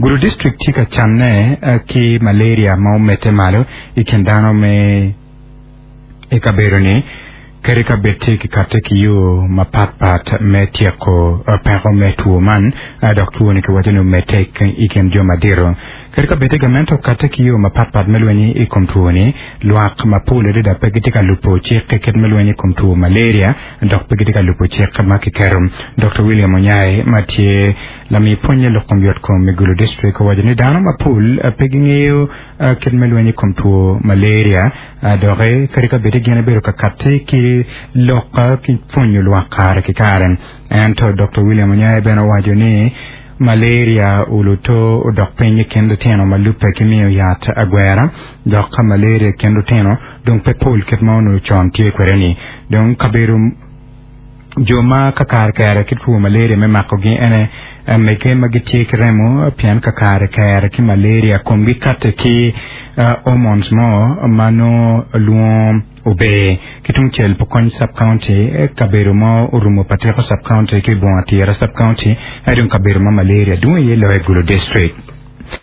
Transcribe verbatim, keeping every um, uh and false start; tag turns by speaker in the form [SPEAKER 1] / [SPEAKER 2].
[SPEAKER 1] Gulu District tye ka canne ki malaria ma omedde malo i kin dano me i kabedo-ni kadi ka bed tye kikatte ki yo mapatpat me tyeko peko me two man dok two-ni kiwaco ni omedde i kin jo madito. Kadi ka bed tye gamente okatte ki yo mapatpat me lweny i kom two-ni, lwak mapol adada pe gitye ka lubo cik kit me lweny i kom two malaria dok pe gitye ka lubo cik ma kiketo. Dokta William Onyai ma tye lami pwonye lok kom yotkom i Gulu District owaco ni dano mapol pe gingeyo kit me lweny i kom two malaria doki kadi ka bed ni gin gibedo ka katti ki lok ki pwonyo lwak kare ki kare. Ento Dokta William Onyai bene owaco ni malaria oluto odok piny i kin lutino ma lubbe ki miyo yat agwera dok ka malaria i kin lutino dong pe pol kit ma onongo con tye kwede-ni. Dong kabedo jo ma kakare kere ki two malaria me makogi ene mege ma gitye ki remo pien kakare kere ki malaria komgi katte ki hormones mo ma nongo lwongo ober ki tungcel Pokony Sub-County kabedo ma orumo Patiko Sub-County ki Bunga Tira Sub-County dong kabedo ma malaria dwong iye loyo i Gulu District.